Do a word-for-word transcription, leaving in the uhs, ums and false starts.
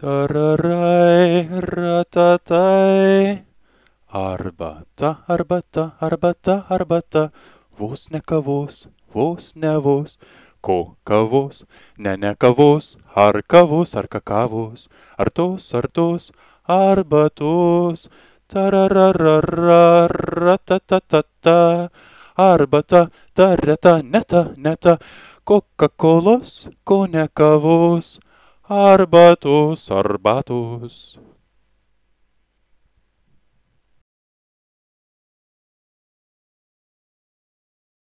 Tararai, ratatai. Arbata, arbata, arbata, arbata. Vos ne kavos, vos ne vos. Ko kavos, ne ne kavos. Ar kavos, ar kakavos. Ar tos, ar tos, arbatos. Tarararara, ratatatata. Arbata, tarata, neta, neta. Coca-Colos, ko ne kavos. Arbatos, arbatos.